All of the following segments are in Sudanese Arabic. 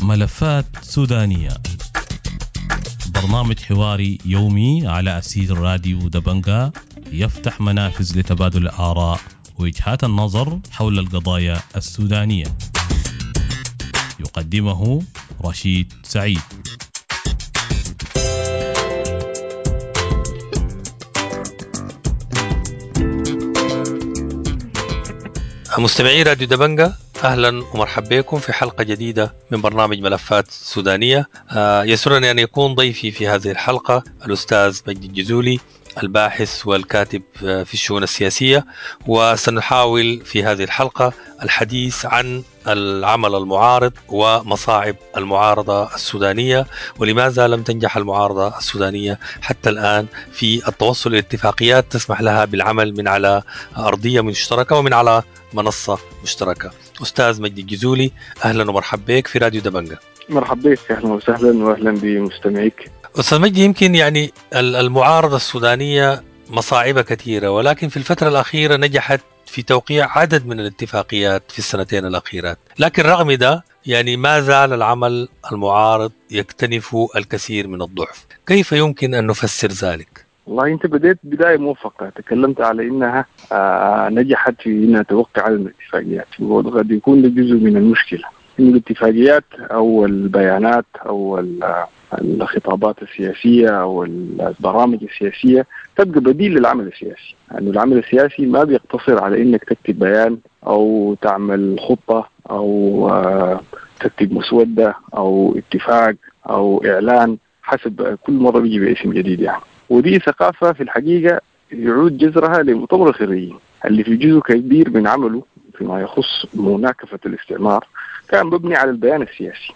ملفات سودانية، برنامج حواري يومي على أسير راديو دبنجا، يفتح منافذ لتبادل الآراء ووجهات النظر حول القضايا السودانية. يقدمه رشيد سعيد. مستمعي راديو دبنجا، أهلا ومرحبا بكم في حلقة جديدة من برنامج ملفات سودانية. يسرني أن يكون ضيفي في هذه الحلقة الأستاذ مجدي الجزولي، الباحث والكاتب في الشؤون السياسية، وسنحاول في هذه الحلقة الحديث عن العمل المعارض ومصاعب المعارضة السودانية، ولماذا لم تنجح المعارضة السودانية حتى الآن في التوصل إلى اتفاقيات تسمح لها بالعمل من على أرضية مشتركة ومن على منصة مشتركة. أستاذ مجدي الجزولي، أهلا ومرحبا بك في راديو دبنجا. مرحبا بك، أهلا وسهلا وأهلا بمستمعيك. أستاذ مجدي، يمكن يعني المعارضة السودانية مصاعبها كثيرة، ولكن في الفترة الأخيرة نجحت في توقيع عدد من الاتفاقيات في السنتين الأخيرات، لكن رغم ده يعني ما زال العمل المعارض يكتنف الكثير من الضعف. كيف يمكن أن نفسر ذلك؟ والله أنت بديت بداية موفقة، تكلمت على إنها نجحت في إنها توقع على الاتفاقيات، وقد يكون جزء من المشكلة إن الاتفاقيات أو البيانات أو الخطابات السياسية أو البرامج السياسية تبقى بديل للعمل السياسي. يعني العمل السياسي ما بيقتصر على إنك تكتب بيان أو تعمل خطة أو تكتب مسودة أو اتفاق أو إعلان، حسب كل مرة بيجي باسم جديد يعني. ودي ثقافة في الحقيقة يعود جذرها لمؤتمر الخريجين اللي في جزء كبير من عمله فيما يخص مناكفة الاستعمار كان مبني على البيان السياسي.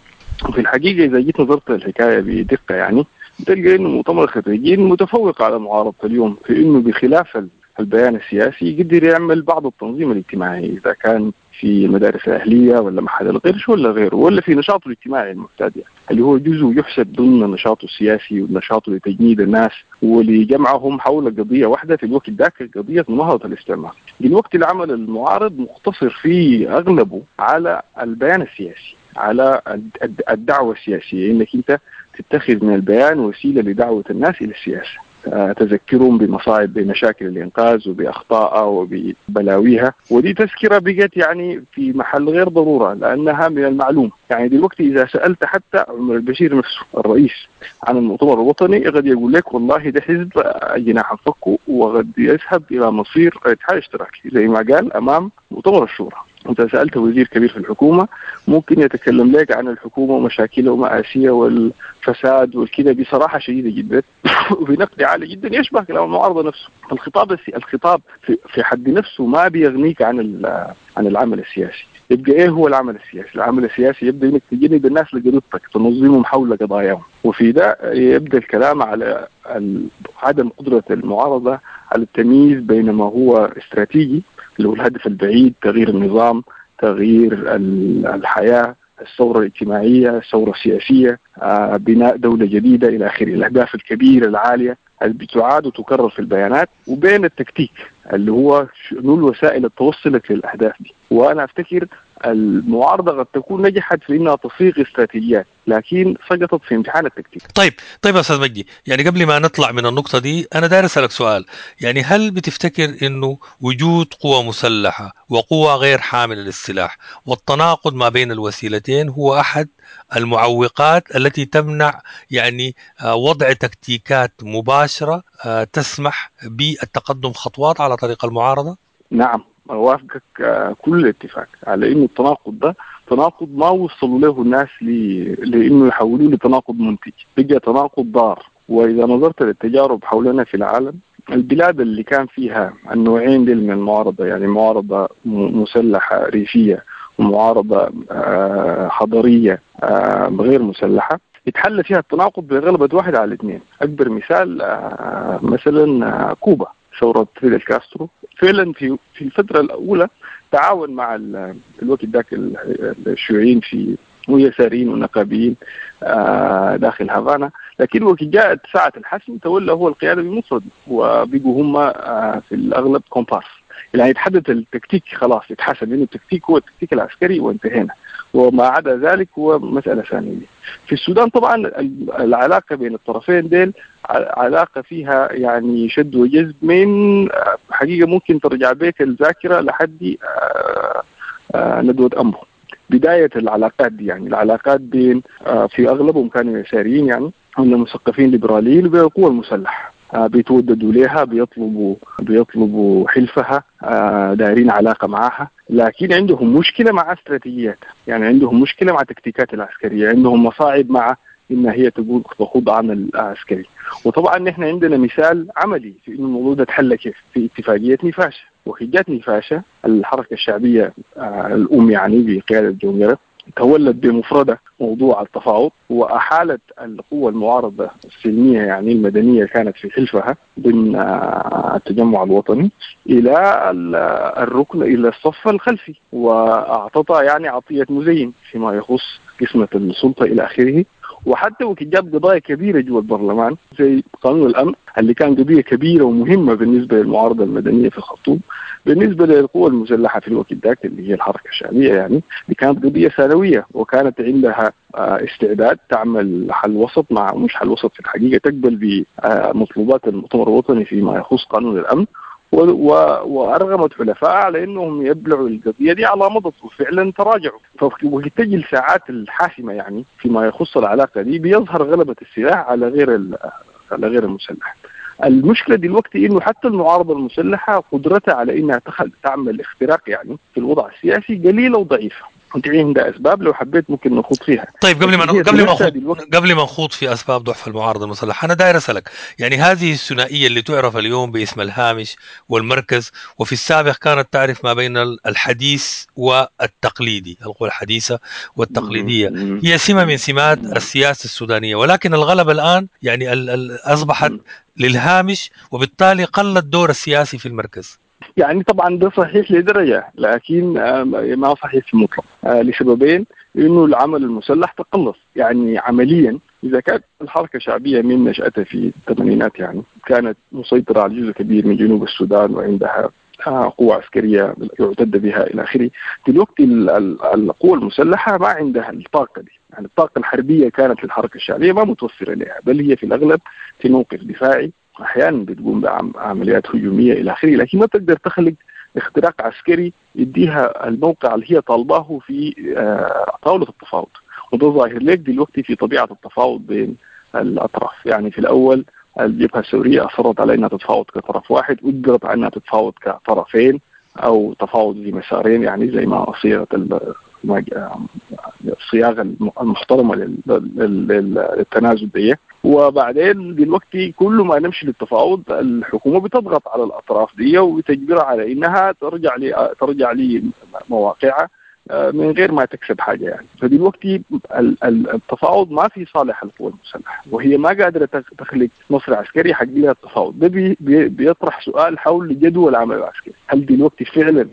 وفي الحقيقة إذا جيت نظرت للحكاية بدقة يعني بتلقى إنه مؤتمر الخريجين متفوق على معارضة اليوم في إنه بخلاف البيان السياسي يقدر يعمل بعض التنظيم الاجتماعي، إذا كان في المدارس الأهلية ولا محل القرش ولا غيره، ولا في نشاطه الاجتماعي المعتاد يعني، اللي هو جزء يحسب ضمن نشاطه السياسي ونشاطه لتجنيد الناس ولجمعهم حول قضية واحدة في الوقت ذاك، قضية مناهضة الاستعمار. دلوقتي العمل المعارض مقتصر في أغلبه على البيان السياسي، على الدعوة السياسية، إنك أنت تتخذ من البيان وسيلة لدعوة الناس إلى السياسة، تذكرهم بمصاعب بمشاكل الإنقاذ وبأخطائها وببلاويها. ودي تذكرة بقت يعني في محل غير ضرورة لأنها من المعلوم. يعني دلوقتي إذا سألت حتى عمر البشير نفسه الرئيس عن المؤتمر الوطني قد يقول لك والله ده حزب جناح فكه وقد يذهب إلى مصير الاتحاد الاشتراكي زي ما قال أمام مؤتمر الشورى. أنت سألت وزير كبير في الحكومة ممكن يتكلم لك عن الحكومة ومشاكلها ومآسيها والفساد والكذا بصراحة شديدة جدا وبنقد عالي جدا يشبه كلام المعارضة نفسه. الخطاب في حد نفسه ما بيغنيك عن العمل السياسي. يبقى إيه هو العمل السياسي؟ العمل السياسي يبدأ إنك تجند الناس لقضيتك، تنظمهم حول قضاياهم. وفي ده يبدأ الكلام على عدم قدرة المعارضة على التمييز بين ما هو استراتيجي اللي هو الهدف البعيد، تغيير النظام، تغيير الحياة، الثورة الاجتماعية، الثورة السياسية، بناء دولة جديدة إلى آخره، الأهداف الكبيرة العالية اللي بتعاد وتكرر في البيانات، وبين التكتيك اللي هو شنو الوسائل اللي توصلك للأهداف دي. وأنا أفتكر المعارضة قد تكون نجحت في إنها تصيغ استراتيجيات، لكن سقطت في امتحان التكتيك. طيب أستاذ مجدي، يعني قبل ما نطلع من النقطة دي أنا داير أسألك سؤال، يعني هل بتفتكر إنه وجود قوى مسلحة وقوى غير حاملة للسلاح والتناقض ما بين الوسيلتين هو أحد المعوقات التي تمنع يعني وضع تكتيكات مباشرة تسمح بالتقدم خطوات على طريق المعارضة؟ نعم، أوافقك كل الاتفاق على إنه التناقض ده تناقض ما وصلوا له الناس لإنه يحولوه لتناقض منتج، بقى تناقض ضار. وإذا نظرت للتجارب حولنا في العالم، البلاد اللي كان فيها النوعين دي من المعارضة، يعني معارضة مسلحة ريفية ومعارضة حضرية غير مسلحة، يتحل فيها التناقض بغلبة 1 على 2. أكبر مثال مثلا كوبا، ثورة فيدل كاسترو. فعلا في الفترة الأولى تعاون مع الوقت ذاك الشيوعيين في ويساريين ونقابيين داخل هافانا، لكن وقت جاءت ساعة الحسم تولى هو القيادة بمفرده، وبقوا هم في الأغلب كومبارس. يعني يتحدد التكتيك، خلاص يتحسب انه التكتيك هو التكتيك العسكري وانتهينا، وما عدا ذلك هو مسألة ثانية. في السودان طبعا العلاقة بين الطرفين ديل علاقة فيها يعني شد وجذب من حقيقة ممكن ترجع بيك الذاكرة لحد ندوة أمبو. بداية العلاقات دي يعني العلاقات بين في أغلبهم كانوا يساريين يعني، هم مثقفين ليبراليين، وبين القوى المسلحة بيتوددوا لها، بيطلبوا حلفها، دايرين علاقة معها، لكن عندهم مشكلة مع استراتيجياتها، يعني عندهم مشكلة مع تكتيكات العسكرية، عندهم مصاعب مع إن هي تقول تخوض عمل عسكري. وطبعا نحن عندنا مثال عملي في إنه الموضوع ده تحل كيف في اتفاقية نيفاشا. وحجات نيفاشا الحركة الشعبية الأم يعني بقيادة جون قرنق تولت بمفردة موضوع التفاوض، وأحالت القوى المعارضة السلمية يعني المدنية كانت في حلفها ضمن التجمع الوطني إلى الركن، إلى الصف الخلفي، وأعطتها يعني عطية مزين فيما يخص قسمة السلطة إلى آخره. وحتى وكجاب قضايا كبيرة جوا البرلمان زي قانون الأمن اللي كان قضية كبيرة ومهمة بالنسبة للمعارضة المدنية في الخرطوم، بالنسبة للقوى المسلحة في الوقت ذاك اللي هي الحركة الشعبية يعني دي كانت قضية ثانوية، وكانت عندها استعداد تعمل حل وسط مع مش حل وسط في الحقيقة، تقبل بمطلوبات المؤتمر الوطني فيما يخص قانون الأمن، وأرغمت حلفاء على أنهم يبلعوا القضية دي على مضض، وفعلا تراجعوا. فوقت الساعات الحاسمة يعني فيما يخص العلاقة دي بيظهر غلبة السلاح على غير المسلح. المشكلة دلوقتي إنه حتى المعارضة المسلحة قدرتها على إنها تعمل اختراق يعني في الوضع السياسي قليلة وضعيفة. انت عندها اسباب لو حبيت ممكن نخوض فيها. طيب قبل ما نخوض في اسباب ضعف المعارضة المسلحة، انا داير اسالك يعني هذه الثنائية اللي تعرف اليوم باسم الهامش والمركز، وفي السابق كانت تعرف ما بين الحديث والتقليدي، القوى الحديثة والتقليديه، هي سمه من سمات السياسة السودانية، ولكن الغلبة الان يعني اصبحت للهامش، وبالتالي قل الدور السياسي في المركز. يعني طبعا ده صحيح لدرجة، لكن ما صحيح في المطلق لسببين. انه العمل المسلح تقلص يعني عمليا، اذا كانت الحركة الشعبية من نشأتها في الثمانينات يعني كانت مسيطرة على جزء كبير من جنوب السودان وعندها قوة عسكرية يعتد بها إلى آخره، دلوقتي القوة المسلحة ما عندها الطاقة دي، يعني الطاقة الحربية كانت للحركة الشعبية ما متوفرة لها، بل هي في الأغلب في موقف دفاعي، أحيانا بتقوم بعمليات هجومية إلى آخره، لكن ما تقدر تخلق اختراق عسكري يديها الموقع اللي هي طالباه في طاولة التفاوض. وده ظاهر لك دلوقتي في طبيعة التفاوض بين الأطراف. يعني في الأول الجبهة السورية أصرت على أنها تتفاوض كطرف واحد، وأجبرت على أنها تتفاوض كطرفين أو تفاوض في مسارين، يعني زي ما صيغة الصياغة المحترمة للتنازل دي. وبعدين دلوقتي كل ما نمشي للتفاوض الحكومة بتضغط على الأطراف دي وتجبرها على إنها ترجع لمواقعها من غير ما تكسب حاجة يعني. فدلوقتي التفاوض ما في صالح القوى المسلحة، وهي ما قادرة تخلق نصر عسكري حق لها التفاوض. ده بيطرح سؤال حول جدوى العمل العسكري، هل دلوقتي فعلا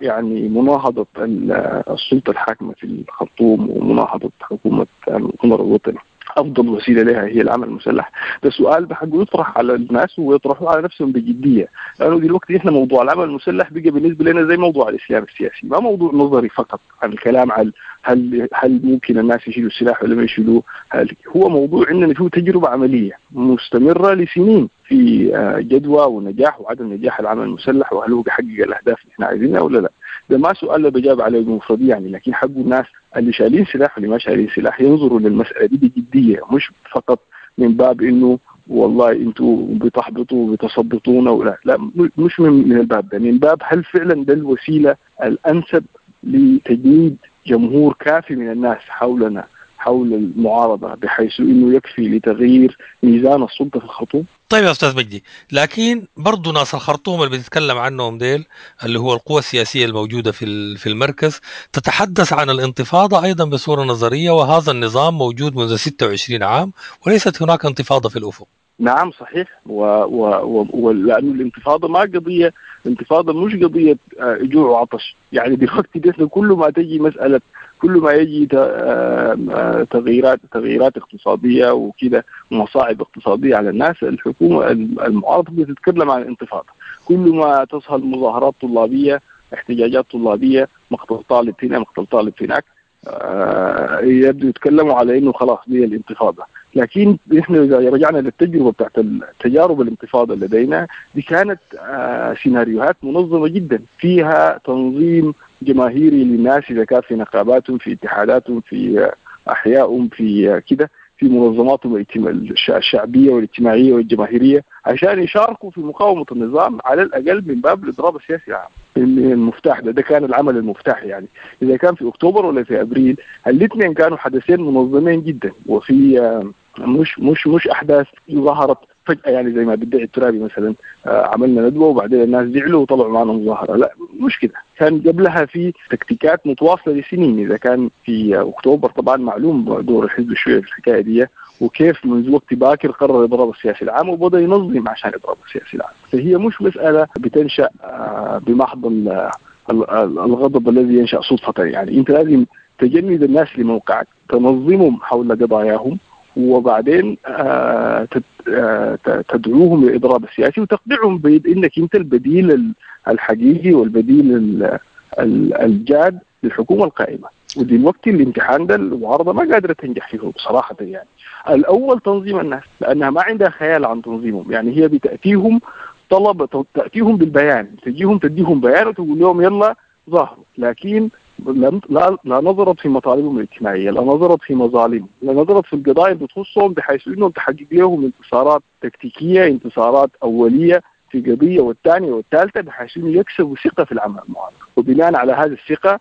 يعني مناهضة السلطة الحاكمة في الخرطوم ومناهضة حكومة المؤتمر الوطني أفضل وسيلة لها هي العمل المسلح؟ ده سؤال بحقه يطرح على الناس ويطرحوه على نفسهم بجدية، لأنه دلوقتي إحنا موضوع العمل المسلح بقى بالنسبة لنا زي موضوع الإسلام السياسي، ما موضوع نظري فقط عن الكلام عن هل ممكن الناس يشيلوا السلاح ولا ما يشيلوه، هو موضوع عندنا فيه تجربة عملية مستمرة لسنين في جدوى ونجاح وعدم نجاح العمل المسلح، وهل هو بيحقق الأهداف اللي إحنا عايزينها ولا لا. ده ما سؤال بجاب عليه بمفردية يعني، لكن حقه الناس اللي شايلين سلاح واللي ما شايلين سلاح ينظروا للمسألة دي بجدية، مش فقط من باب إنه والله أنتوا بتحبطوا وبتثبطونا ولا لا، مش من الباب ده، من باب هل فعلا ده الوسيلة الأنسب لتجنيد جمهور كافي من الناس حولنا حول المعارضة بحيث إنه يكفي لتغيير ميزان السلطة في الخرطوم. طيب يا أستاذ مجدي، لكن برضو ناس الخرطوم اللي بتتكلم عنهم ديل اللي هو القوى السياسية الموجودة في المركز تتحدث عن الانتفاضة أيضا بصورة نظرية، وهذا النظام موجود منذ 26 عام وليست هناك انتفاضة في الأفق. نعم صحيح، ولأنه الانتفاضة ما قضية، الانتفاضة مش قضية جوع وعطش. يعني دلوقتي ده كل ما تجي مسألة، كل ما يجي تغييرات اقتصادية وكده، مصاعب اقتصادية على الناس، الحكومة المعارضة بتتكلم عن الانتفاضة. كل ما تظهر مظاهرات طلابية، احتجاجات طلابية، مقتل طالب هنا، مقتل طالب هناك، يبدو يتكلموا على انه خلاص دي الانتفاضة. لكن احنا اذا رجعنا للتجربه بتاعت التجارب الانتفاضة لدينا دي، كانت سيناريوهات منظمة جدا، فيها تنظيم جماهيري للناس، اذا كان في نقاباتهم، في اتحاداتهم، في احيائهم، في كده، في منظماتهم الشعبية والاجتماعية والجماهيريه، عشان يشاركوا في مقاومة النظام على الاقل من باب الاضراب السياسي العام. المفتاح ده كان العمل المفتاح. يعني اذا كان في اكتوبر ولا في ابريل، الاثنين كانوا حدثين منظمين جدا، وفي مش احداث ظهرت فجاة، يعني زي ما بيدعي الترابي مثلا، عملنا ندوه وبعدين الناز زعلوا وطلعوا معنا مظاهره. لا، مش كده، كان قبلها في تكتيكات متواصلة لسنين. اذا كان في اكتوبر طبعا معلوم دور الحزب الشيوعي في الحكاية دي، وكيف منذ وقت باكر قرر الاضراب السياسي العام وبدا ينظم عشان الاضراب السياسي العام. فهي مش مسالة بتنشا بمحض الغضب الذي ينشا صدفة. يعني انت لازم تجند الناس لموقعك، تنظمهم حول قضاياهم، وبعدين تدعوهم للإضراب السياسي وتقنعهم بأنك أنت البديل الحقيقي والبديل الجاد للحكومة القائمة. ودلوقتي الامتحان ده المعارضة ما قادرة تنجح فيه بصراحة. يعني الأول تنظيم الناس، لأنها ما عندها خيال عن تنظيمهم. يعني هي بتأتيهم طلب، تأتيهم بالبيان، تجيهم تديهم بيان وتقول لهم يلا ظاهروا، لكن لا نظرت في مطالبهم الاجتماعية، لا نظرت في مظالمهم، لا نظرت في القضايا اللي بتخصهم، بحيث انهم تحقق لهم انتصارات تكتيكية، انتصارات اوليه في قضية والثانية والثالثة، بحيث انه يكسبوا ثقة في العمل المعارض، وبناء على هذه الثقة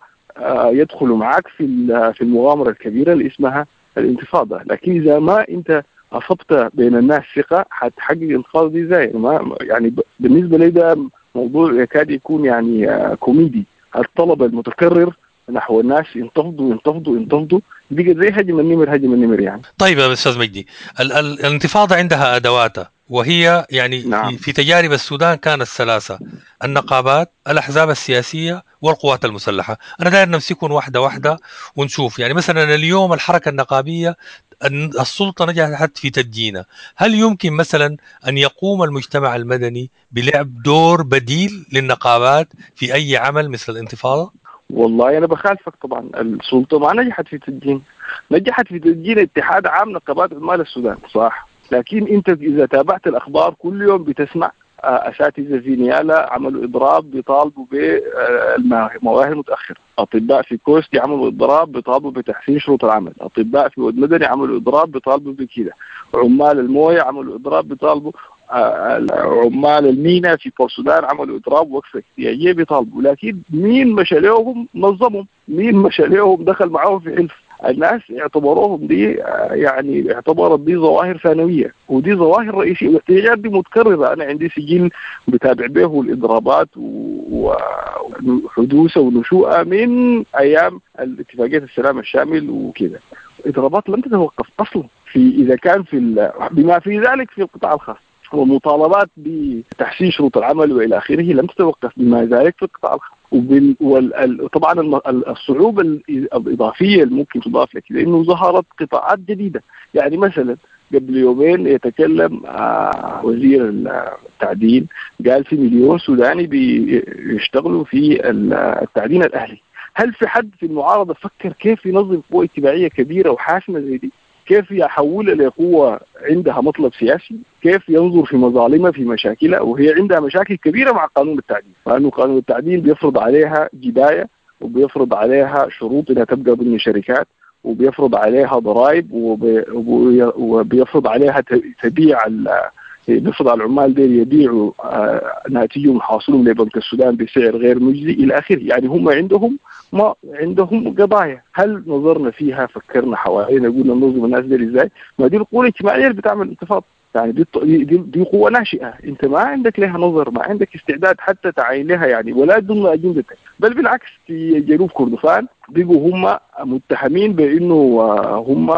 يدخلوا معك في المغامرة الكبيرة اللي اسمها الانتفاضة. لكن اذا ما انت اصبت بين الناس ثقة، حتحقق الانتفاضة دي ازاي؟ ما يعني بالنسبة لي ده موضوع يكاد يكون يعني كوميدي. الطلب المتكرر نحو الناس ينتفضوا ينتفضوا ينتفضوا، بقى زي هجم النمر، هجم النمر يعني. طيب يا استاذ مجدي، الانتفاضة عندها ادواتها، وهي يعني نعم. في تجارب السودان كانت ثلاثة: النقابات، الاحزاب السياسية، والقوات المسلحة. انا داير نمسكهم واحدة واحدة ونشوف. يعني مثلا اليوم الحركة النقابيه السلطة نجحت في تدجينها، هل يمكن مثلا ان يقوم المجتمع المدني بلعب دور بديل للنقابات في اي عمل مثل الانتفاضة؟ والله أنا بخالفك طبعا. السلطة ما نجحت في تدجين، نجحت في تدجين اتحاد عام نقابات عمال السودان صح، لكن أنت إذا تابعت الأخبار كل يوم بتسمع أساتذة في نيالا عملوا إضراب بيطالبوا بالمواهب المتأخرة، أطباء في كوستي عملوا إضراب بيطالبوا بتحسين شروط العمل، أطباء في ود مدني عملوا إضراب بيطالبوا بكذا، عمال الموية عملوا إضراب بيطالبوا، عمال المينا في بورسودان عملوا اضراب وقفه احتياجيه بيطالبوا. لكن مين مشى لهم نظمهم؟ مين مشى لهم دخل معاهم في حلف؟ الناس اعتبروهم دي يعني اعتبرت دي ظواهر ثانوية ودي ظواهر رئيسية، والاحتجاجات دي متكررة. انا عندي سجل بتابع به الاضرابات وحدوثها ونشوئها من ايام الاتفاقية السلام الشامل وكذا. اضرابات لم تتوقف اصلا في اذا كان في بما في ذلك في القطاع الخاص، ومطالبات بتحسين شروط العمل والى اخره لم تتوقف بما ذلك في القطاع الخاص. وطبعا الصعوبة الاضافية اللي ممكن تضاف لك لانه ظهرت قطاعات جديدة. يعني مثلا قبل يومين يتكلم وزير التعدين، قال في 1,000,000 سوداني بيشتغلوا في التعدين الاهلي. هل في حد في المعارضة فكر كيف ينظم قوة اجتماعية كبيرة وحاسمه زي دي؟ كيف يحولها لقوة عندها مطلب سياسي؟ كيف ينظر في مظالمها في مشاكلها؟ وهي عندها مشاكل كبيرة مع قانون التعدين، لأنه قانون التعدين بيفرض عليها جباية، وبيفرض عليها شروط إنها تبقى ضمن شركات، وبيفرض عليها ضرائب، وبيفرض عليها تبيع بيفرض على العمال ديل يبيعوا ناتجهم وحاصلهم لبنك السودان بسعر غير مجزي الى اخره. يعني هم عندهم ما عندهم قضايا. هل نظرنا فيها؟ فكرنا حوالينا قلنا ننظم الناس ديل ازاي؟ ما دي القوة الاجتماعية اللي بتعمل انتفاضة. يعني دي قوة ناشئة، انت ما عندك لها نظر، ما عندك استعداد حتى تعاين لها يعني، ولا ضمن اجندتك. بل بالعكس في جنوب كردفان بقوا هم متهمين بانه هم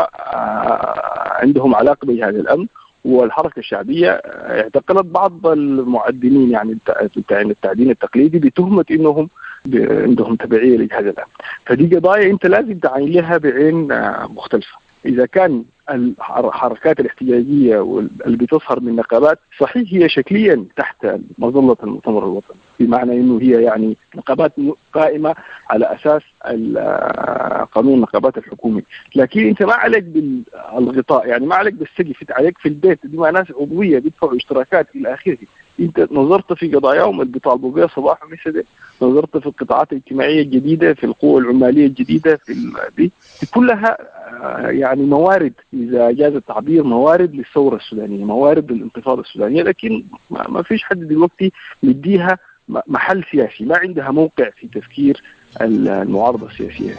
عندهم علاقة بجهاز الامن، والحركة الشعبية اعتقلت بعض المعدنين يعني بتاع التعدين التقليدي بتهمة انهم عندهم تبعية لجهاز الامن. فدي قضايا انت لازم تعاين لها بعين مختلفة. اذا كان الحركات الاحتجاجية اللي بتظهر من نقابات صحيح هي شكليا تحت مظلة المؤتمر الوطني، بمعنى انه هي يعني نقابات قائمة على اساس قانون النقابات الحكومي، لكن انت ما عليك بالغطاء، يعني ما عليك بالسقف، انت عليك في البيت، دي ما ناس عضوية بيدفعوا اشتراكات الى اخره. انت نظرت في قضاياهم اللي بيطالبوا بها صباح ومساء، نظرت في القطاعات الاجتماعية الجديدة، في القوى العماليه الجديدة، في دي كلها يعني موارد، اذا جاز التعبير، موارد للثورة السودانية، موارد للانتفاضه السودانية، لكن ما فيش حد دلوقتي مديها محل سياسي، ما عندها موقع في تفكير المعارضة السياسية.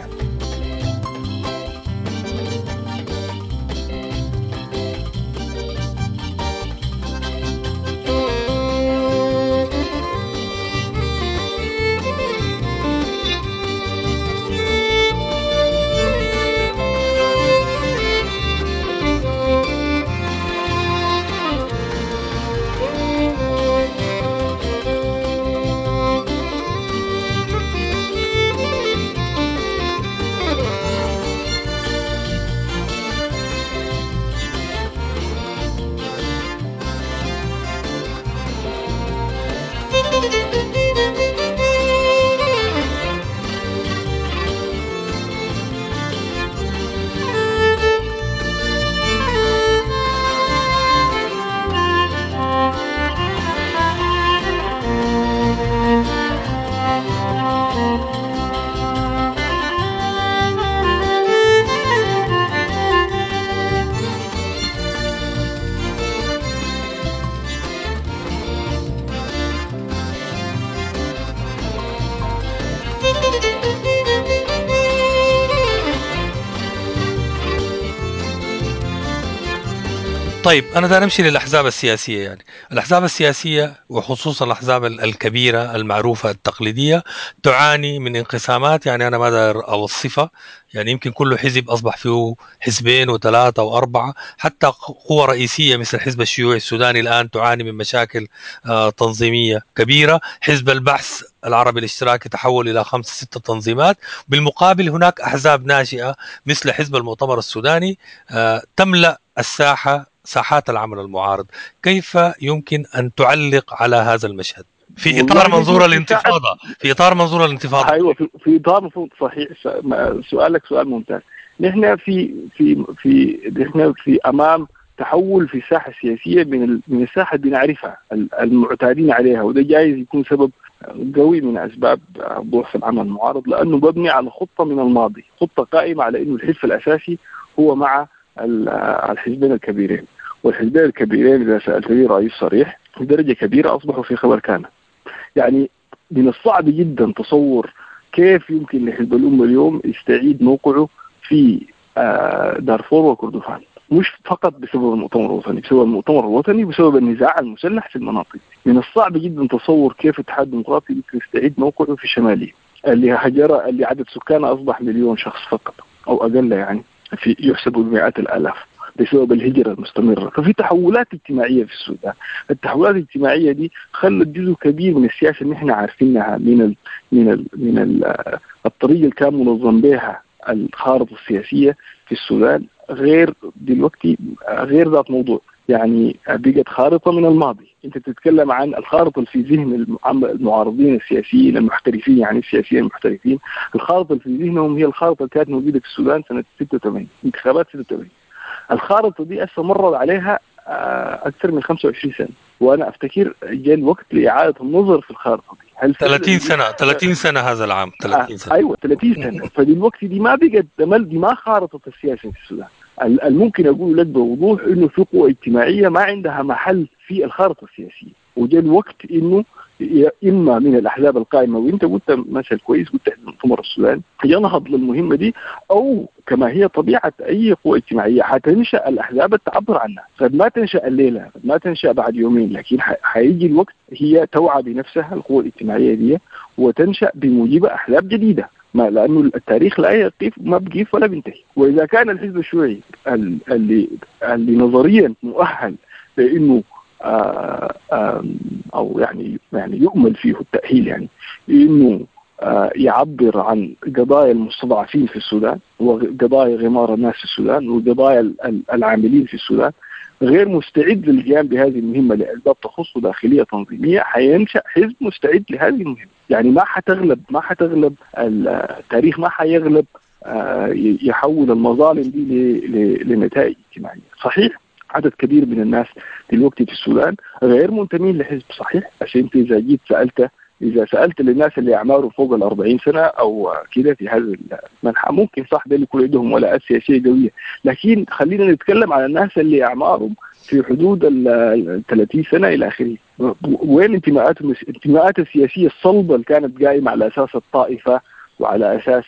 طيب أنا دا نمشي للأحزاب السياسية. يعني الأحزاب السياسية وخصوصا الأحزاب الكبيرة المعروفة التقليدية تعاني من انقسامات، يعني أنا ما داير أوصفها، يعني يمكن كل حزب أصبح فيه حزبين وثلاثة وأربعة، حتى قوة رئيسية مثل الحزب الشيوعي السوداني الآن تعاني من مشاكل تنظيمية كبيرة. حزب البعث العربي الاشتراكي تحول إلى 5-6 تنظيمات. بالمقابل هناك أحزاب ناشئة مثل حزب المؤتمر السوداني تملأ الساحة، ساحات العمل المعارض. كيف يمكن أن تعلق على هذا المشهد في إطار منظور الانتفاضة؟ في إطار منظور الانتفاضة، أيوة، في إطار منظور، صحيح. سؤالك سؤال ممتاز. نحن في في في نحن في أمام تحول في الساحة السياسية من الساحة اللي بنعرفها المعتادين عليها، وده جايز يكون سبب قوي من أسباب ضعف العمل المعارض، لأنه مبني على خطة من الماضي، خطة قائمة على إنه الحلف الأساسي هو مع الحزبين الكبيرين، والحزبين الكبيرين إذا سألتني رأيي صريح بدرجة كبيرة أصبحوا في خبر كان. يعني من الصعب جدا تصور كيف يمكن لحزب الأمة اليوم يستعيد موقعه في دارفور وكردفان، مش فقط بسبب المؤتمر الوطني، بسبب المؤتمر الوطني بسبب النزاع المسلح في المناطق. من الصعب جدا تصور كيف الاتحاد الديمقراطي يمكن يستعيد موقعه في الشمالية اللي هجر، اللي عدد سكانه أصبح 1,000,000 شخص فقط أو أقل، يعني في يحسب بمئات الآلاف بسبب الهجرة المستمرة. ففي تحولات اجتماعية في السودان، التحولات الاجتماعية دي خلت جزء كبير من السياسة اللي احنا عارفينها من ال من ال من ال الطريقة اللي كان منظم بها الخارطة السياسية في السودان غير دلوقتي، غير ذات موضوع، يعني بقت خارطة من الماضي. انت تتكلم عن الخارطة اللي في ذهن المعارضين السياسيين المحترفين، يعني السياسيين المحترفين، الخارطة اللي في ذهنهم هي الخارطة اللي كانت موجودة في السودان سنة 86، انتخابات 86. الخارطة دي استمرت عليها أكثر من 25 سنة، وأنا أفتكر جاء الوقت لإعادة النظر في الخارطة دي. هل 30 سنة، 30 سنة هذا العام، 30 سنة. أيوة 30 سنة. فدلوقتي دي ما بقت، دي ما خارطة السياسة في السودان. الممكن أقول لك بوضوح إنه في قوى اجتماعية ما عندها محل في الخارطة السياسية، وجاء الوقت إنه إما من الأحزاب القائمة، وإنت قلت مثل كويس، قلت المؤتمر السوداني ينهض للمهمة دي، أو كما هي طبيعة أي قوة اجتماعية حتنشأ الأحزاب التعبر عنها. قد ما تنشأ الليلة، قد ما تنشأ بعد يومين، لكن حيجي الوقت هي توعى بنفسها القوة الاجتماعية دي وتنشأ بموجب أحزاب جديدة، ما لأنه التاريخ لا يقف، ما بقيف ولا بينتهي. وإذا كان الحزب الشيوعي اللي نظريا مؤهل بانه او يعني يؤمل فيه التاهيل، يعني انه يعبر عن قضايا المستضعفين في السودان وقضايا غمار الناس في السودان وقضايا العاملين في السودان، غير مستعد للقيام بهذه المهمة لأسباب تخص داخلية تنظيمية، حينشأ حزب مستعد لهذه المهمة. يعني ما حتغلب التاريخ، ما حيغلب يحول المظالم دي لنتائج اجتماعية. صحيح عدد كبير من الناس دلوقتي في السودان غير منتمين لحزب، صحيح، عشان انت إذا جيت سألت للناس اللي أعماره فوق 40 سنة أو كده في هذا المنحى ممكن صح ده اللي يكون عندهم ولاءات سياسية قوية، لكن خلينا نتكلم على الناس اللي أعمارهم في حدود 30 سنة إلى آخره. وين انتماءاتهم؟ الانتماءات السياسية الصلبة اللي كانت قائمة على أساس الطائفة وعلى أساس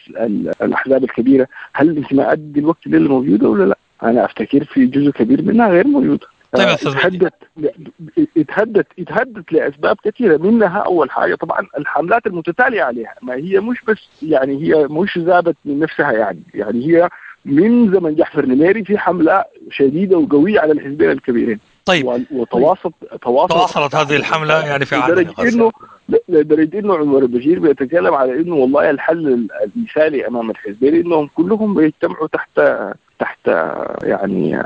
الأحزاب الكبيرة، هل الانتماءات دلوقتي اللي موجودة ولا لا؟ أنا أفتكر في جزء كبير منها غير موجودة. طيب اتهدت لأسباب كثيرة، منها أول حاجة طبعا الحملات المتتالية عليها، ما هي مش بس يعني هي مش ذابت من نفسها، يعني هي من زمن جعفر نميري في حملة شديدة وقوية على الحزبين الكبيرين. طيب وتواصلت هذه الحملة يعني في لدرجة إنه عمر البشير بيتكلم على إنه والله الحل المثالي أمام الحزبين إنهم كلهم بيجتمعوا تحت يعني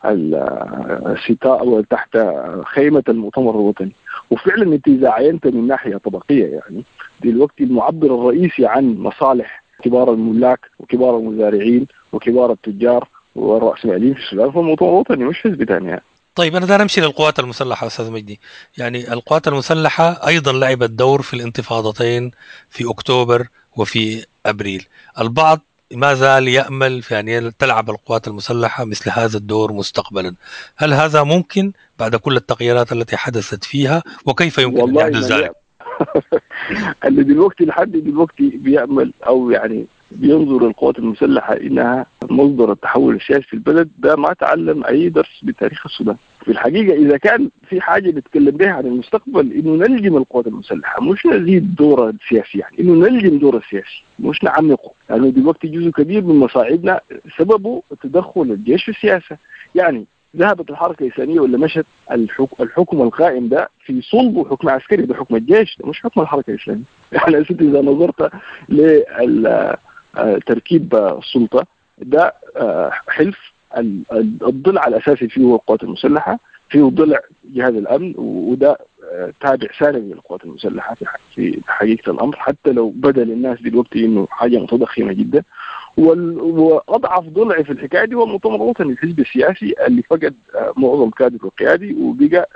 الستاء وتحت خيمة المؤتمر الوطني. وفعلا انت إذا عينت من ناحية طبقية يعني دلوقتي المعبر الرئيسي عن مصالح كبار الملاك وكبار المزارعين وكبار التجار والرأسماليين في السودان هو المؤتمر الوطني، مش حزب ثاني يعني. طيب أنا دار أمشي للقوات المسلحة أستاذ مجدي. يعني القوات المسلحة أيضا لعبت دور في الانتفاضتين في أكتوبر وفي أبريل. البعض ما زال يأمل في أن تلعب القوات المسلحة مثل هذا الدور مستقبلا. هل هذا ممكن بعد كل التغييرات التي حدثت فيها، وكيف يمكن أن يحدث ذلك؟ اللي دلوقتي لحد دلوقتي بيأمل أو يعني بينظر القوات المسلحة إنها مصدر التحول السياسي في البلد، ده ما تعلم أي درس بتاريخ السودان. في الحقيقة إذا كان في حاجة بنتكلم بها عن المستقبل إنه نلجم القوات المسلحة، مش نزيد دورها السياسي، يعني إنه نلجم دورها السياسي مش نعمقه. لأنه يعني دلوقتي جزء كبير من مصاعبنا سببه تدخل الجيش في السياسة. يعني ذهبت الحركة الإسلامية ولا مشت الحكم القائم ده في صلبه حكم عسكري، ده حكم الجيش، ده مش حكم الحركة الإسلامية. يعني إذا نظرت لتركيب السلطة ده حلف الضلع الأساسي فيه هو القوات المسلحة، فيه ضلع جهاز الأمن، وده تابع ثانوي للقوات المسلحة في حقيقة الأمر، حتى لو بدا للناس دلوقتي إنه حاجة متضخمة جدا. وأضعف ضلع في الحكاية دي هو المؤتمر الوطني، الحزب السياسي اللي فقد معظم كادره القيادي وبقى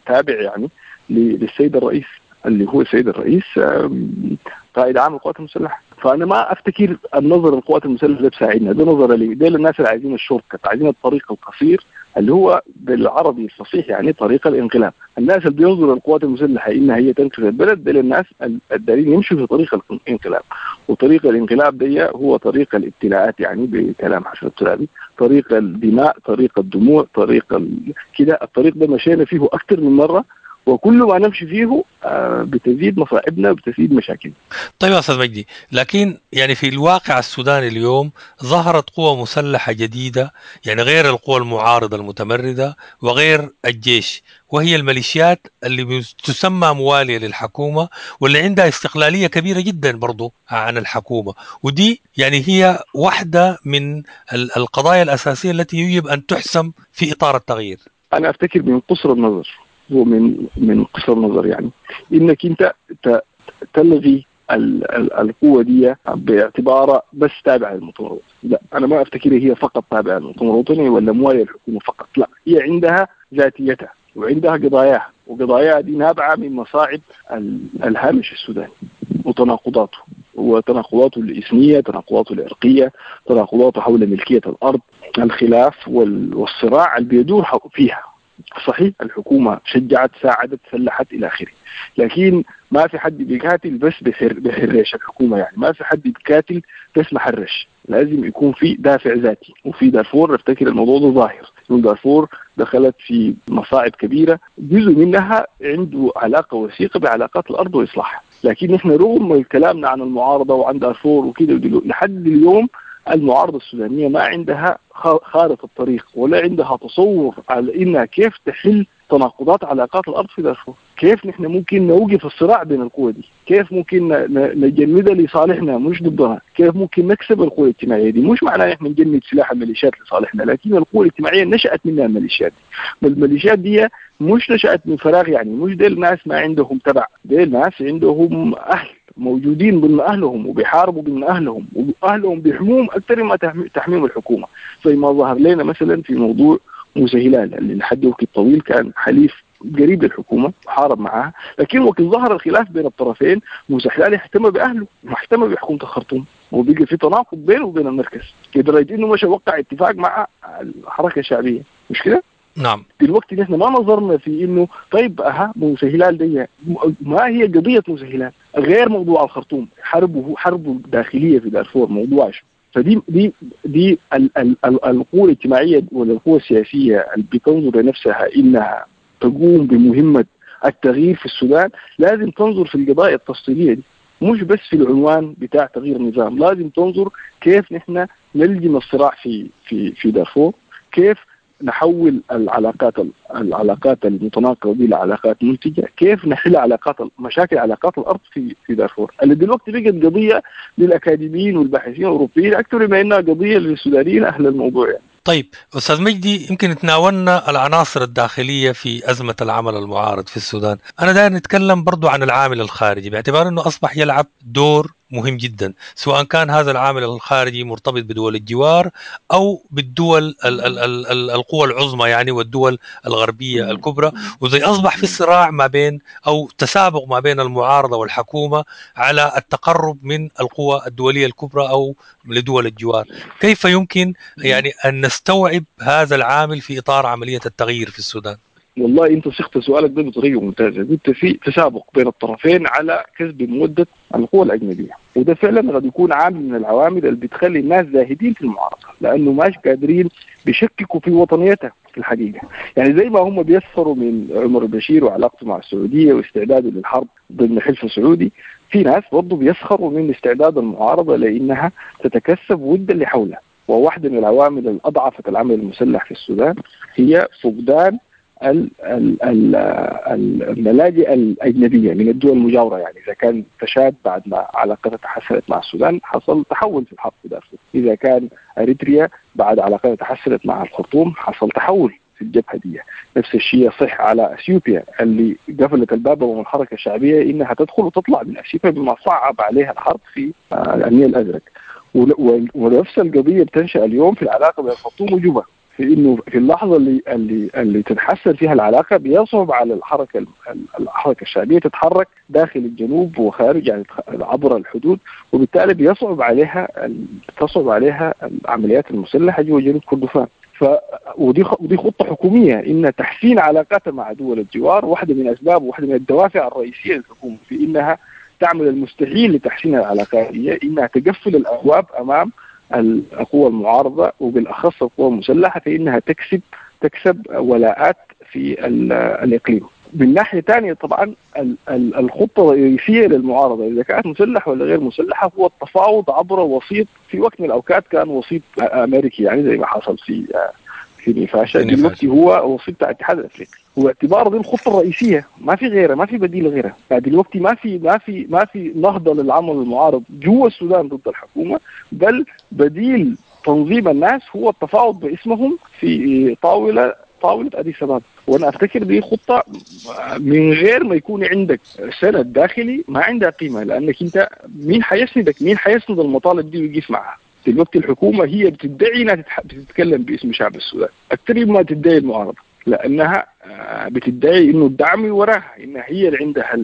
تابع يعني للسيد الرئيس، اللي هو السيد الرئيس قائد عام القوات المسلحة. فأنا ما أفتكر النظر للقوات المسلحة ده بساعدنا، ده نظر لي ده للناس اللي عايزين ال shortcut، عايزين الطريق القصير اللي هو بالعربي الفصيح يعني طريق الانقلاب. الناس اللي بينظروا للقوات المسلحة إنها هي تنقذ البلد، ده للناس الدارين يمشوا في طريق الانقلاب، وطريق الانقلاب دي هو طريق الابتلاءات، يعني بكلام حسن الترابي، طريق الدماء، طريق الدموع، طريق كده. الطريق ده مشينا فيه أكثر من مرة، وكل ما نمشي فيه بتزيد مصائبنا وبتزيد مشاكلنا. طيب يا أستاذ مجدي، لكن يعني في الواقع السوداني اليوم ظهرت قوى مسلحة جديدة، يعني غير القوى المعارضة المتمردة وغير الجيش، وهي الميليشيات اللي تسمى موالية للحكومة واللي عندها استقلالية كبيرة جدا برضو عن الحكومة، ودي يعني هي واحدة من القضايا الأساسية التي يجب أن تحسم في إطار التغيير. أنا أفتكر من قصر النظر، هو من قصر النظر يعني انك انت تلغي القوه دي باعتبارها بس تابعه للمؤتمر الوطني. لا، انا ما افتكر هي فقط تابعه للمؤتمر الوطني ولا مواليه للحكومه فقط، لا، هي عندها ذاتيتها وعندها قضاياها، وقضاياها دي نابعه من مصاعب الهامش السوداني وتناقضاته، وتناقضاته الإثنية، تناقضاته العرقية، تناقضاته حول ملكية الأرض، الخلاف والصراع اللي بيدور فيها. صحيح الحكومة شجعت، ساعدت، سلحت إلى آخره، لكن ما في حد بيقاتل بس بحرش الحكومة، يعني ما في حد بيقاتل بس محرش، لازم يكون في دافع ذاتي. وفي دارفور افتكر الموضوع ده ظاهر، دارفور دخلت في مصاعب كبيرة جزء منها عنده علاقة وثيقة بعلاقات الأرض وإصلاحها. لكن نحن رغم كلامنا عن المعارضة وعن دارفور وكده لحد اليوم المعارضة السودانية ما عندها خارطة الطريق ولا عندها تصور على انها كيف تحل تناقضات علاقات الارض في دارفور، كيف نحن ممكن نوقف الصراع بين القوى دي، كيف ممكن نجندها لصالحنا مش ضدها، كيف ممكن نكسب القوى الاجتماعية دي. مش معناه نحن نجند سلاح الميليشيات لصالحنا، لكن القوى الاجتماعية نشات منها الميليشيات دي. الميليشيات دي مش نشات من فراغ، يعني مش ديل ناس ما عندهم تبع، ديل ناس عندهم اهل موجودين ضمن اهلهم وبيحاربوا ضمن اهلهم، واهلهم بيحموهم اكثر مما تحميهم الحكومة، زي ما ظهر لنا مثلا في موضوع موسى هلال اللي لحد وقت طويل كان حليف قريب للحكومة وحارب معها، لكن وقت ظهر الخلاف بين الطرفين موسى هلال اهتم باهله ما اهتم بحكومة الخرطوم، وبقى في تناقض بينه وبين المركز لدرجة انه مشى وقع اتفاق مع الحركة الشعبية، مش كده؟ نعم. دلوقتي نحن ما نظرنا في انه طيب اها موسى هلال دي ما هي قضية موسى هلال غير موضوع الخرطوم، حربه داخلية في دارفور موضوع. فدي دي دي القوى الاجتماعية ولا القوى السياسية اللي بتنظر لنفسها انها تقوم بمهمة التغيير في السودان لازم تنظر في القضايا التفصيلية دي، مش بس في العنوان بتاع تغيير النظام، لازم تنظر كيف نحن نلجم الصراع في في في دارفور، كيف نحول العلاقات المتناقضه دي لعلاقات منتجه، كيف نحل علاقات مشاكل علاقات الارض في دارفور اللي دلوقتي بقت قضية للاكاديميين والباحثين الاوروبيين اكثر ما انها قضية للسودانيين اهل الموضوع يعني. طيب استاذ مجدي، يمكن تناولنا العناصر الداخلية في ازمة العمل المعارض في السودان، انا داير نتكلم برضو عن العامل الخارجي باعتبار انه اصبح يلعب دور مهم جدا، سواء كان هذا العامل الخارجي مرتبط بدول الجوار او بالدول القوى العظمى يعني والدول الغربية الكبرى، وزي اصبح في صراع ما بين او تسابق ما بين المعارضة والحكومة على التقرب من القوى الدولية الكبرى او لدول الجوار. كيف يمكن يعني ان نستوعب هذا العامل في اطار عملية التغيير في السودان؟ والله انت صيغت سؤالك ده بطريقة ممتازة، قلت في تسابق بين الطرفين على كسب موده القوى الاجنبية، وده فعلا قد يكون عامل من العوامل اللي بتخلي الناس زاهدين في المعارضة، لانه ماش قادرين بيشككوا في وطنيتها في الحقيقة، يعني زي ما هم بيسخروا من عمر البشير وعلاقته مع السعودية واستعداده للحرب ضمن حلف سعودي، في ناس برضه بيسخروا من استعداد المعارضة لانها تتكسب ود اللي حولها، وواحدة من العوامل الاضعفت العمل المسلح في السودان هي فقدان الملاجئ الأجنبية من الدول المجاورة. يعني إذا كان تشاد بعد ما علاقتها تحسنت مع السودان حصل تحول في الحرب في دارفور، إذا كان أريتريا بعد علاقتها تحسنت مع الخرطوم حصل تحول في الجبهة دي، نفس الشيء صح على أثيوبيا اللي قفلت الباب أمام الحركة الشعبية إنها تدخل وتطلع من أثيوبيا بما صعب عليها الحرب في النيل الأزرق. ونفس القضية بتنشأ اليوم في العلاقة بين الخرطوم وجوبا، في انه في اللحظة اللي تتحسن فيها العلاقة بيصعب على الحركة الشعبية تتحرك داخل الجنوب وخارج، يعني عبر الحدود، وبالتالي بيصعب عليها تصعب عليها العمليات المسلحة جوا جنوب كردفان. ودي خطه حكومية ان تحسين علاقاتها مع دول الجوار واحدة من اسباب وواحدة من الدوافع الرئيسية للحكومة في انها تعمل المستحيل لتحسين العلاقات، هي انها تقفل الابواب امام القوى المعارضة وبالأخص القوى المسلحة فإنها تكسب ولاءات في الإقليم. من ناحية ثانية طبعا الخطة الرئيسية للمعارضة إذا كانت مسلحة ولا غير مسلحة هو التفاوض عبر وسيط، في وقت من الأوقات كان وسيط أمريكي يعني زي ما حصل في نيفاشا، دلوقتي هو وسيط بتاع الاتحاد الافريقي، واعتبار دي الخطة الرئيسية، ما في غيرها، ما في بديل غيرها. يعني دلوقتي ما في نهضة للعمل المعارض جوا السودان ضد الحكومة، بل بديل تنظيم الناس هو التفاوض باسمهم في طاولة اديس ابابا. وانا افتكر دي خطه من غير ما يكون عندك سند داخلي ما عندها قيمة، لانك انت مين حيسندك؟ مين حيسند المطالب دي ويقف معها؟ دلوقتي الحكومة هي بتدعي انها بتتكلم باسم شعب السودان اكثر مما تدعي المعارضة، لانها بتدعي انه الدعم وراها، انها هي اللي عندها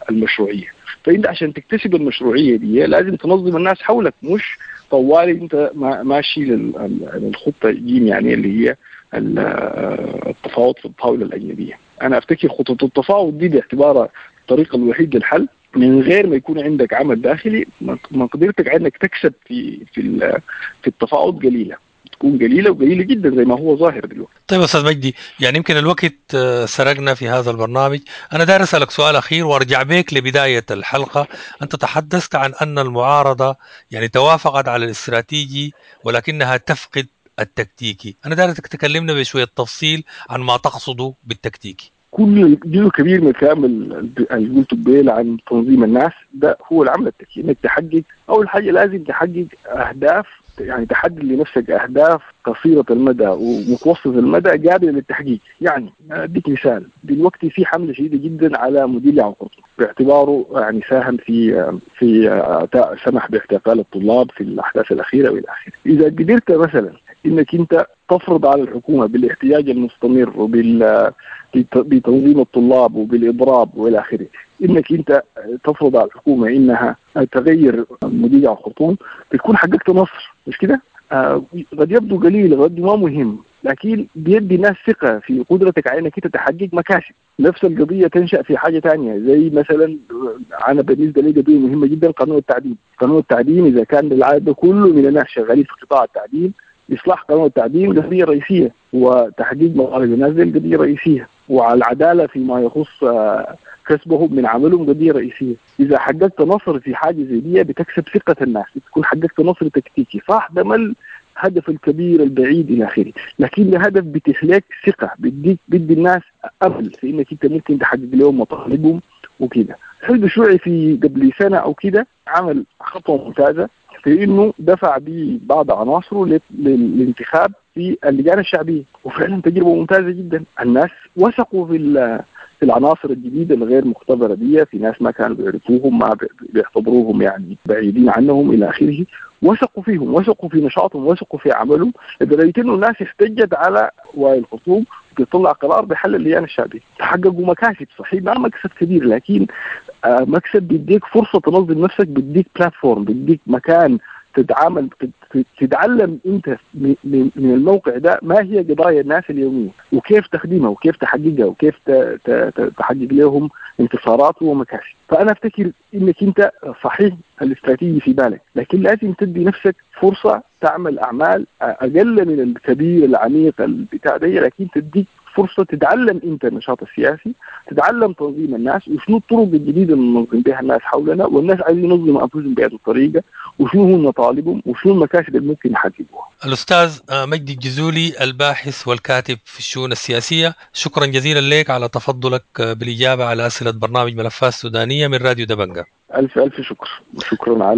المشروعية. فانت عشان تكتسب المشروعية دي لازم تنظم الناس حولك، مش طوالي انت ماشي للخطه جيم يعني اللي هي التفاوض في الطاولة الاجنبية. انا افتكر خطه التفاوض دي باعتبارها الطريق الوحيد للحل، من غير ما يكون عندك عمل داخلي مقدرتك انك تكسب في في التفاوض قليله. حتكون قليلة وقليلة جدا زي ما هو ظاهر دلوقتي. طيب أستاذ مجدي، يعني يمكن الوقت سرقنا في هذا البرنامج. أنا داير أسألك سؤال أخير وأرجع بك لبداية الحلقة. أنت تحدثت عن أن المعارضة يعني توافقت على الاستراتيجي ولكنها تفقد التكتيكي. أنا داير تكلمنا بشوية تفصيل عن ما تقصده بالتكتيكي. كل جزء كبير من الكلام اللي قلته قبيل عن تنظيم الناس ده هو العمل التكتيكي، انك تحقق اول حاجة لازم تحقق اهداف، يعني تحدد لنفسك اهداف قصيرة المدى ومتوسط المدى قابله للتحقيق. يعني اديك مثال، دلوقتي في حمله شديدة جدا على مدير عام الخرطوم باعتباره يعني ساهم في سمح باعتقال الطلاب في الاحداث الاخيرة والى اخره. اذا قدرت مثلا انك انت تفرض على الحكومة بالاحتجاج المستمر بتنظيم الطلاب وبالاضراب والى اخره، انك انت تفرض على الحكومة انها تغير مدير الخرطوم، بتكون حققت نصر، مش كده؟ قد يبدو قليل، قد ما مهم، لكن بيدي الناس ثقة في قدرتك على انك انت تحقق مكاسب. نفس القضية تنشا في حاجة ثانية، زي مثلا انا بالنسبة لي قضية مهمة جدا قانون التعدين. قانون التعدين اذا كان العدد كله من الناس شغالين في قطاع التعدين، اصلاح قانون التعدين قضية رئيسية، وتحقيق مطالب الناس دي قضية رئيسية، وعلى العدالة فيما يخص كسبهم من عملهم قضية رئيسية. اذا حققت نصر في حاجة زي دي بتكسب ثقة الناس، بتكون حققت نصر تكتيكي. صح ده ما الهدف الكبير البعيد الى اخره، لكن ده هدف بتخليك ثقة، بيدي الناس امل في انك انت ممكن تحقق لهم مطالبهم وكده. الحزب الشيوعي في قبل سنة او كده عمل خطوة ممتازة في انه دفع ببعض عناصره للانتخاب في اللجان الشعبية، وفعلا تجربه ممتازة جدا. الناس وثقوا في العناصر الجديدة الغير مختبره دي، في ناس ما كانوا بيعرفوهم، ما بيعتبروهم يعني بعيدين عنهم الى اخره، وثقوا فيهم، وثقوا في نشاطهم، وثقوا في عملهم، لدرجة انه الناس احتجت على وائل الخرطوم بيطلع قرار بحل اللجان الشعبية. تحققوا مكاسب، صحيح ما مكسب كبير، لكن مكسب بيديك فرصة تنظم نفسك، بيديك بلاتفورم، بيديك مكان تتعامل، تتعلم انت من الموقع ده ما هي قضايا الناس اليومية وكيف تخدمها وكيف تحققها وكيف تحقق لهم انتصارات ومكاسب. فانا افتكر انك انت صحيح الاستراتيجي في بالك، لكن لازم تدي نفسك فرصة تعمل اعمال اقل من الكبير العميق البتاع ده، لكن تديك فرصة تتعلم انت النشاط السياسي، تتعلم تنظيم الناس وشنو الطرق الجديدة اللي ننظم بها الناس حولنا، والناس عايزين ينظموا انفسهم بهذه الطريقة، وشنو هم مطالبهم وشنو المكاسب اللي ممكن يحققوها. الاستاذ مجدي الجزولي الباحث والكاتب في الشؤون السياسية، شكرا جزيلا لك على تفضلك بالاجابة على اسئلة برنامج ملفات سودانيه من راديو دبنجة. الف الف شكر، شكرا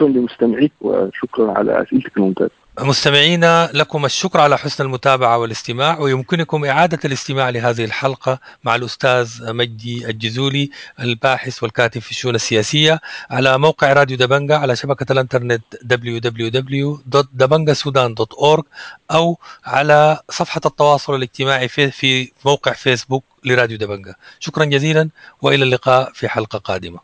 لمستمعيك وشكرا على اسئلتك الممتازة. مستمعينا لكم الشكر على حسن المتابعة والاستماع، ويمكنكم إعادة الاستماع لهذه الحلقة مع الأستاذ مجدي الجزولي الباحث والكاتب في الشؤون السياسية على موقع راديو دبنجة على شبكة الانترنت www.dabangasudan.org أو على صفحة التواصل الاجتماعي في موقع فيسبوك لراديو دبنجة. شكرا جزيلا وإلى اللقاء في حلقة قادمة.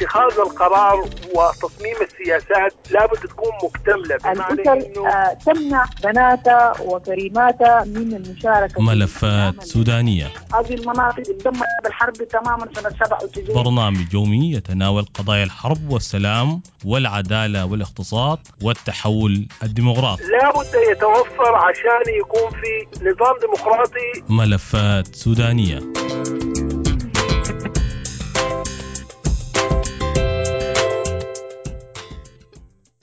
اتخاذ القرار وتصميم السياسات لابد تكون مكتملة. الأسر تمنع بناتها وكريماتها من المشاركة. ملفات سودانية، هذه المناطق تدمرت بالحرب تماما سنة 97. برنامج يومي يتناول قضايا الحرب والسلام والعدالة والاقتصاد والتحول الديمقراطي. لابد يتوفر عشان يكون في نظام ديمقراطي. ملفات سودانية.